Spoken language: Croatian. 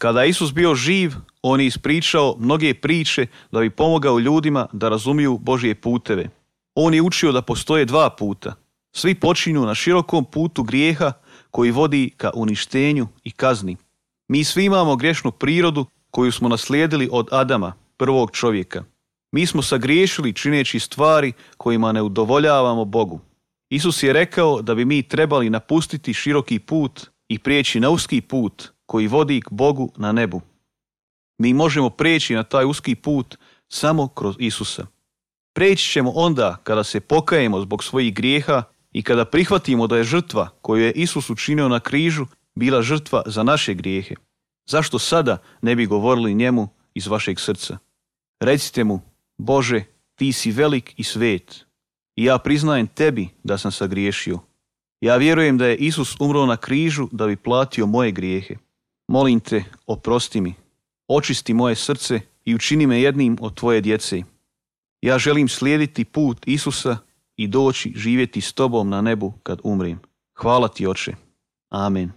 Kada je Isus bio živ, on je ispričao mnoge priče da bi pomogao ljudima da razumiju Božje puteve. On je učio da postoje dva puta. Svi počinju na širokom putu grijeha koji vodi ka uništenju i kazni. Mi svi imamo grešnu prirodu koju smo naslijedili od Adama, prvog čovjeka. Mi smo sagriješili čineći stvari kojima ne udovoljavamo Bogu. Isus je rekao da bi mi trebali napustiti široki put i prijeći na uski put koji vodi k Bogu na nebu. Mi možemo prijeći na taj uski put samo kroz Isusa. Prijeći ćemo onda kada se pokajemo zbog svojih grijeha i kada prihvatimo da je žrtva koju je Isus učinio na križu bila žrtva za naše grijehe. Zašto sada ne bi govorili njemu iz vašeg srca? Recite mu: Bože, ti si velik i svet i ja priznajem tebi da sam sagriješio. Ja vjerujem da je Isus umro na križu da bi platio moje grijehe. Molim te, oprosti mi, očisti moje srce i učini me jednim od tvoje djece. Ja želim slijediti put Isusa i doći živjeti s tobom na nebu kad umrem. Hvala ti, Oče. Amen.